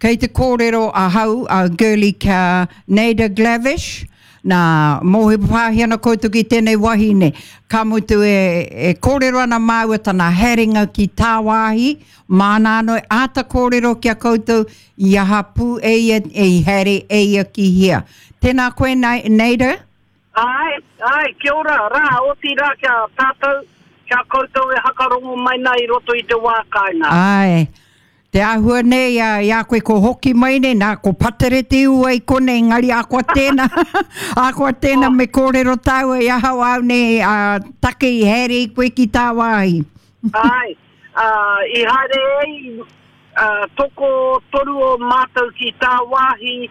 Kei te kōrero ahau, a Girlie kia Naida Glavish, nā, mōhio pāhi ana koutou ki tēnei wahine, ka mutu e, e kōrero ana māua tana haerenga ki tāwāhi, māna anō e āta kōrero ki a koutou i aha pū e ia, e i haere e ia ki hea. Tēnā koe, Naida. Āe, āe, kia ora, rā, otirā ki a tātou, ki a koutou e hakarongo mai nā i roto i te wā kāinga. Āe, te āhua nei a, i a koe ko hoki mai nei, nā, ko Patere te ua i konei, engari akoa tēnā, akoa tēnā me kōrero tāua i ahau āu nei a, take i haere i koe ki tāwāhi. Āe, ā, i haere ai, ā, tokotoru o mātou ki tāwāhi,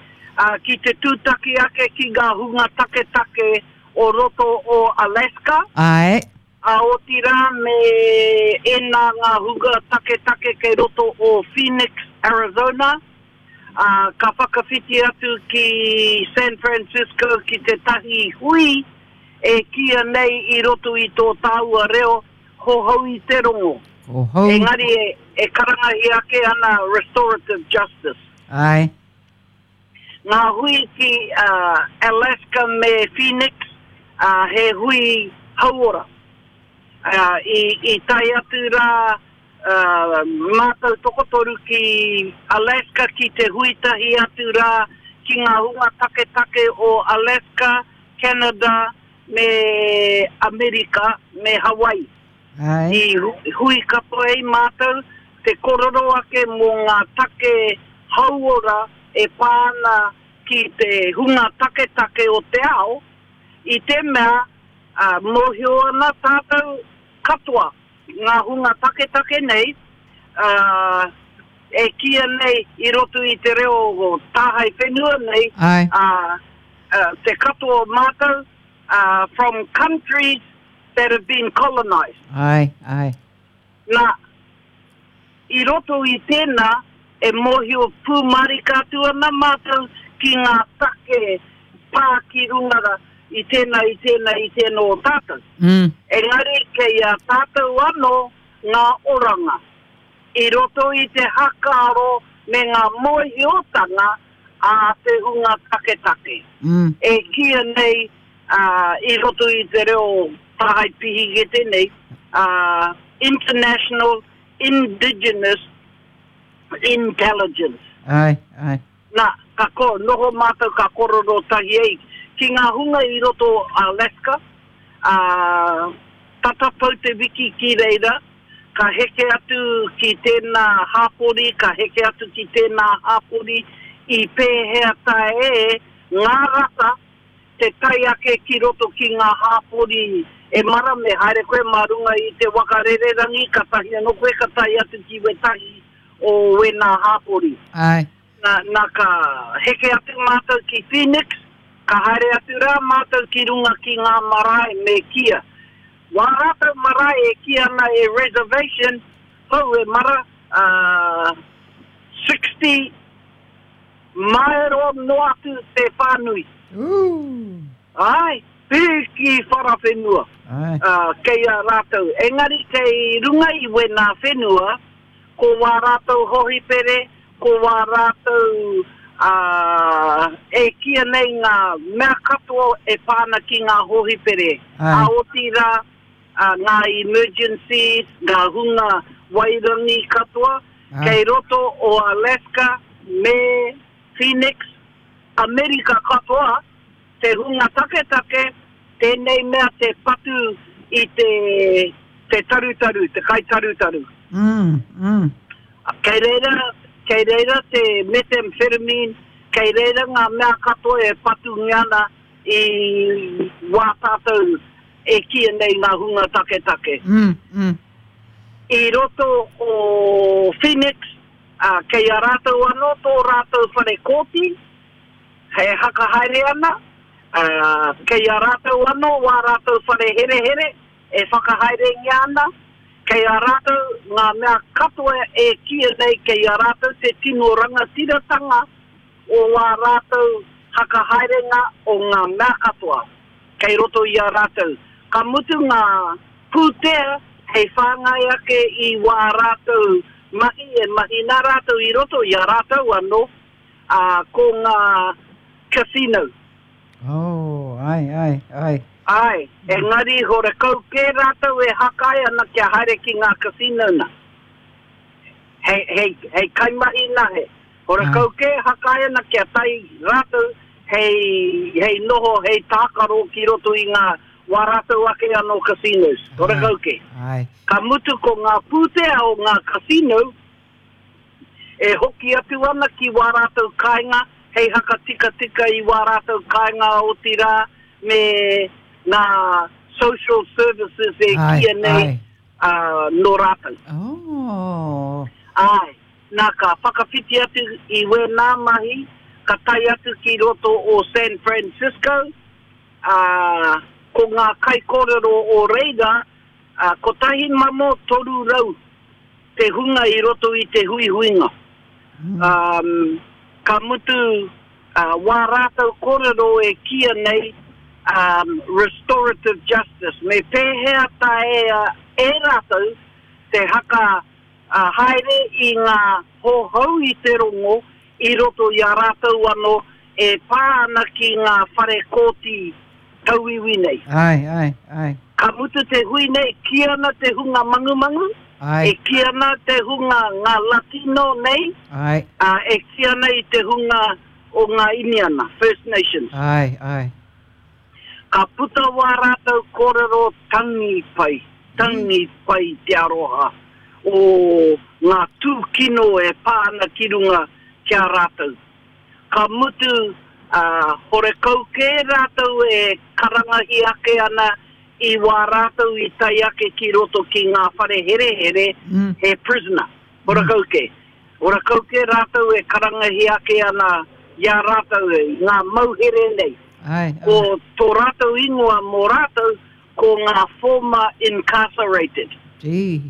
ā, ki te tūtaki ake ki ngā hunga taketake o roto o Alaska. Āe. Ā, otirā me ēnā ngā hunga taketake kei roto o Phoenix, Arizona, ā, ka whakawhiti atu ki San Francisco ki tētahi hui e kīia nei i roto i tō tāua reo, Hohou i te rongo. Hohou. Engari e, e karangahia ake ana restorative justice. Ae. Ngā hui ki uh, Alaska me Phoenix, uh, he hui hauora. Uh, i, i tae atu rā uh, mātou tokotoru ki Alaska ki te hui tahi atu rā ki ngā hunga taketake o Alaska, Canada, me Amerika, me Hawaii. Ae. I hui katoa ai mātou te korero ake mō ngā take hauora e pā ana ki te hunga taketake o te ao, i te mea mōhio ana tātou katoa, ngā hunga taketake nei, e kīia nei i roto i te reo tāhae whenua nei, te katoa o mātou, from countries that have been colonised. Āe, āe. Nā, i roto i tēnā, e mōhio pūmārika atu ana mātou ki ngā take pā ki runga i tēnā, i tēnā, i tēnā o tātou. Mm. Engari kei a tātou anō ngā oranga i roto i te hakaaro me ngā mōhiotanga a te hunga taketake. Mm. E kīia nei i roto i te reo tāhae pihikete nei, International Indigenous Intelligence. Āe, āe. Nā, ka ko, noho mātou ka korero tahi ai ki ngā hunga i roto o Alaska, ā, tata pau te wiki ki reira, ka heke atu ki tēnā hāpori, ka heke atu ki tēnā hāpori, i pēhea tae e ngā rata te tae ake ki roto ki ngā hāpori e mara me haere koe mā runga i te waka rererangi katahi anō koe ka tae atu ki wētahi o wēnā hāpori. Āe. Na, na ka heke atu mātou ki Phoenix, ka haere atu rā mātou ki runga ki ngā marae me kīa. Wā rātou marae e kī ana e reservation, hou e mara, ā, 60 maero noa atu te whānui. Ooh. Āe, piki whara whenua. Āe. Ā, kei a rātou. Engari kei runga i wēnā whenua, ko wā rātou hohipere, ko wā rātou, ā, e kīia nei ngā mea katoa e pā ana ki ngā hohipere, Āe. ā, otirā, ā, ngā emergencies, ngā hunga wairangi katoa, Āe. kei roto o Alaska me Phoenix, Amerika katoa, te hunga taketake, tēnei mea te patu i te, te tarutaru, te kaitarutaru. Mm, mm. Kei reira, kei reira te methamphetamine, kei reira ngā mea katoa e patungia ana i wā tātou e kīia nei ngā hunga taketake. Mm, mm. I roto o Phoenix, ā, kei a rātou anō tō rātou whare kōti, E hakahaere ana, ā, kei a rātou anō wā rātou whare herehere e whakahaerengia ana, kei a rātou ngā mea katoa e kīia nei kei a rātou te tino rangatiratanga o wā rātou hakahaerenga o ngā mea katoa kei roto i a rātou. Ka mutu ngā pūtea hei whāngai ake i wā rātou. mahi e mahi nā rātou i roto i a rātou anō, ā, ko ngā casino. Oh, ai, ai, ai. Āe, engari horekau kē rātou e hākai ana kia haere ki ngā casino nā. Hei, hei, hei kaimahi nahe. Horekau kē hākai ana kia tae rātou hei, hei noho, hei tākaro ki roto i ngā, wā rātou ake anō casinos. Horekau kē. Āe. Ka mutu ko ngā pūtea o ngā casino, e hoki atu ana ki wā rātou kāinga hei hakatikatika i wā rātou kāinga otirā me ngā social services e kīia nei nō rātou. Oh. Āe, nā ka whakawhiti atu i wēnā mahi, ka tae atu ki roto o San Francisco, ā, ko ngā kaikōrero o reira, ā, 1,300 te hunga i roto i te huihuinga. Um, ka mutu uh, wā rātou kōrero e kīia nei um, restorative justice, me pēhea taea e rātou te haka uh, haere i ngā hohou i te rongo i roto i a rātou anō e pā ana ki ngā whare kōti tauiwi nei. Āe, āe, āe. Ka mutu te hui nei, kī ana te hunga mangumangu, Āe. e kī ana te hunga ngā Latino nei, Āe. ā, e kī ana i te hunga o ngā Iniana, First Nations. Āe, āe. Ka puta wā rātou kōrero tangi pai, tangi pai te aroha o ngā tūkino e pā ana ki runga ki a rātou. Ka mutu, ā, horekau kē rātou e karangahi ake ana i wā rātou i tae ake ki roto ki ngā whare herehere, he prisoner, horekau kē. Horekau kē rātou e karangahi ake ana i a rātou i ngā mauhere nei. Ko tō rātou ingoa mō rātou ko ngā former incarcerated. Gee.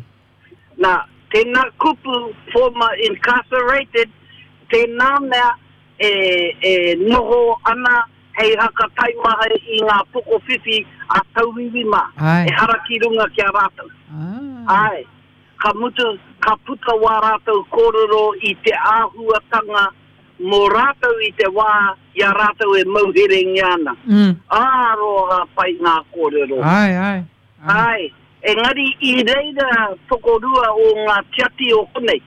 Nā, tēnā kupu former incarcerated, tēnā mea e, e noho ana hei haka taimaha i ngā pokowhiwhi a tauiwi mā, ehara ki runga ki a rātou. Ah. Āe, ka mutu, ka puta wā rātou kōrero i te āhuatanga mō rātou i te wā i a rātou e mauherengia ana. Mm. Aroha pai ngā kōrero. Āe, āe. Āe, engari i reira tokorua o ngā tiati o konei,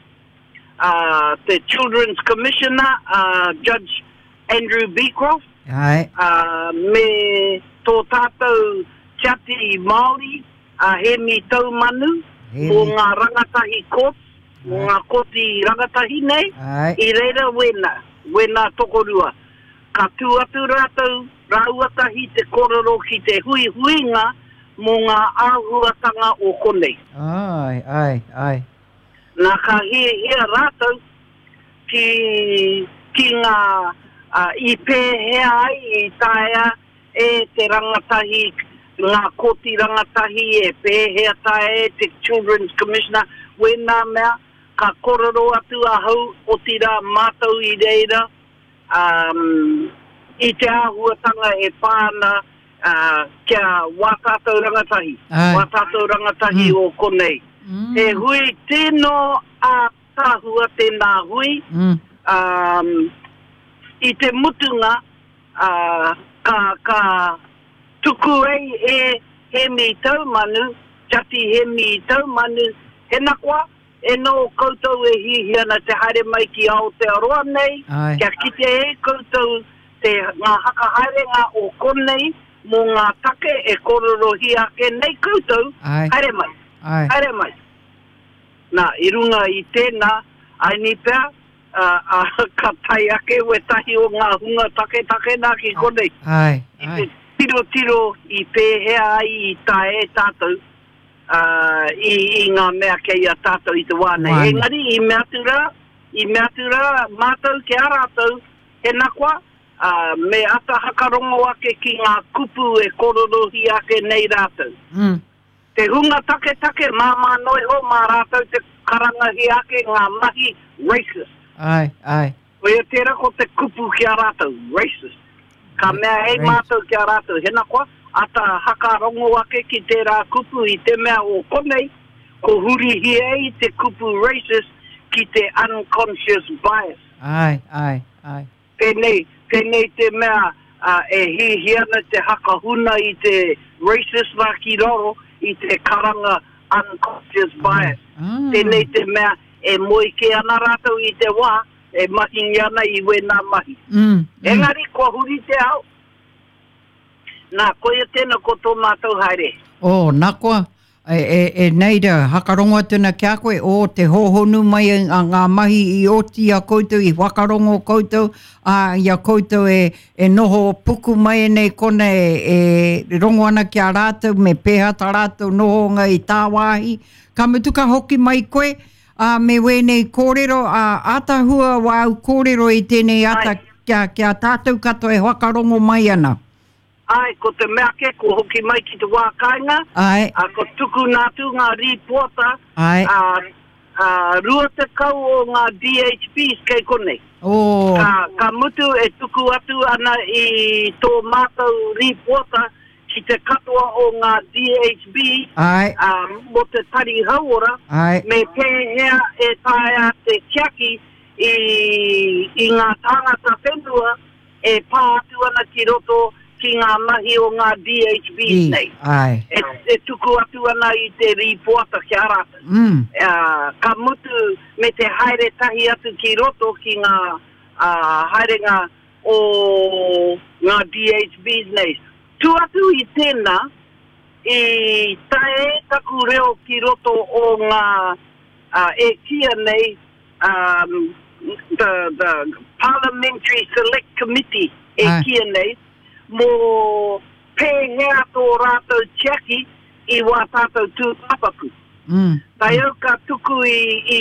a te Children's Commissioner a Judge Andrew Becroft, Āe. ā, me tō tātou tiati Māori a Hēmi Taumanu mō ngā rangatahi courts, mō ngā kōti rangatahi nei, Āe. i reira wēnā, wēnā tokorua. Ka tū atu rātou, rāua tahi te kōrero ki te huihuinga mō ngā āhuatanga o konei. Āe, āe, āe. Nā, ka hiahia rātou ki, ki ngā, ā, i pēhea ai i taea e te rangatahi, ngā kōti rangatahi, e pēhea taea e te Children's Commissioner, wēnā mea, ka kōrero atu ahau, otirā mātou i reira, um, i te āhuatanga e pā ana uh, kia wā tātou rangatahi, Ai. wā tātou rangatahi mm. o konei. Mm. He hui tino ātaahua tēnā hui, mm. um, i te mutunga uh, ka, ka tuku ei e Hemi Taumanu, Jati Hemi Taumanu, hena koa, E noho koutou e hiahia ana te haere mai ki Aotearoa nei, Ae. kia kite e koutou te, ngā hakahaerenga o konei mō ngā take e kōrerohia ake nei koutou, Ae. haere mai, Ae. haere mai. Nā, i runga i tēnā, aini pea, ā, ā, ka tae ake wētahi o ngā hunga taketake nā ki konei. Ae, Ki ae. te tirotiro i pēhea ai i tae e tātou, ā, i, i ngā mea kei a tātou i te wā nei. Wā nei. Engari, i mea atu rā, i mea atu rā mātou ki a rātou, tēnā koa, ā, me ata hakarongo ake ki ngā kupu e kororohia ake nei rātou. Mm. Te hunga taketake, māmā noa iho, mā rātou te karangahia ake ngā mahi racist. Ai, ai. Koia tērā ko te kupu ki a rātou, racist. Ka mea hei Racist. mātou ki a rātou, hena koa, ata hakarongo ake ki tērā kupu i te mea o konei, ko hurihia ai te kupu racist ki te unconscious bias. Āe, āe, āe. Pēnei, pēnei te mea e hiahia ana te hakahuna i te racist rā ki raro i te karanga unconscious bias. Tēnei te mea e moe kē ana rātou i te wā e mahingia ana i wēnā mahi. Engari kua huri te ao. Nā, koia tēnā ko tō mātou haere. Oh, nā koa, e, e, e Neira, hakarongo atu ana ki a koe, oh, te hōhonu mai a ngā mahi i oti i a koutou, i whakarongo koutou, ā, i a koutou e, e noho puku mai nei kona e, e rongo ana ki a rātou, me pēhea tā rātou nohonga i tāwāhi. Ka mutu ka hoki mai koe, ā, me wēnei kōrero, ā, ātahua wāu kōrero i tēnei ata kia, ki a tātou katoa e whakarongo mai ana. Āe, ko te mea ake, kua hoki mai ki te wā kāinga, Āe. ā, kua tukuna atu ngā rīpoata, Āe. ā, ā, 20 o ngā DHBs kei konei. Oh. Ka, ka mutu e tuku atu ana i tō mātou rīpoata ki te katoa o ngā DHB Āe. ā, mō te tari hauora, Āe. me pēhea e taea te tiaki i, i ngā tāngata whenua e pā atu ana ki roto ki ngā mahi o ngā DHBs nei. Āe. E, e tuku atu ana i te rīpoata ki a rātou. Mm. Ā, ka mutu me te haere tahi atu ki roto ki ngā ā, haerenga o ngā DHBs nei. Tu atu i tēnā, i tae taku reo ki roto o ngā, ā, e kīia nei, um, the, the Parliamentary Select Committee e kīia nei, mō pēhea tō rātou tiaki i wā tātou tūpāpaku. Mm. Tae au ka tuku i, i,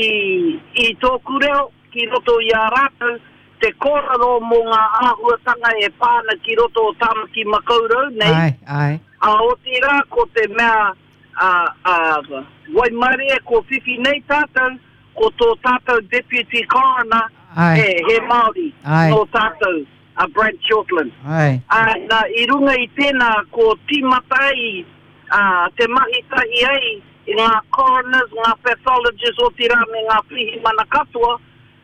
i tōku reo ki roto i a rātou te kōrero mō ngā āhuatanga e pā ana ki roto o Tāmaki Makaurau nei, Āe, āe. ā, otirā ko te mea ā, ā, waimarie ko whiwhi nei tātou, ko tō tātou Deputy Coroner, Āe. he, he Māori Āe. nō tātou, a Brad Shortland. Āe. Ā, nā, i runga i tēnā ko tīmata ai ā, te mahi tahi ai i ngā coroners, ngā pathologists, otirā me ngā pirihimana katoa,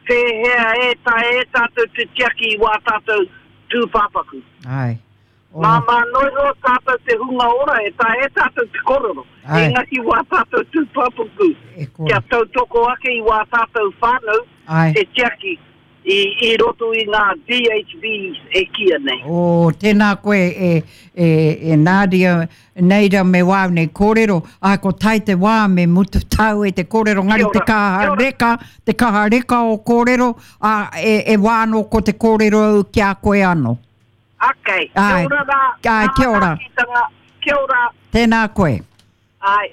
pēhea e taea e tātou te tiaki i wā tātou tūpāpaku. Āe. Oh. Māmā noa iho tātou te hunga ora e taea e tātou te kōrero, Āe. engari wā tātou tūpāpaku E kore. kia tautoko ake i wā tātou whānau Āe. te tiaki i, i roto i ngā DHBs e kīia nei. Oh, tēnā koe e, e, e Nadia, Neira me wāu nei kōrero, ā, ko tae te wā me mutu tāu e te kōrero, ngari Kia te ora, kaha kia ora. reka, te kaha reka o kōrero, ā, e, e wā anō ko te kōrero au ki a koe anō. Okay, kia Āe, ora rā, āe, ngā kia ora. manaakitanga, kia ora. Tēnā koe. Āe.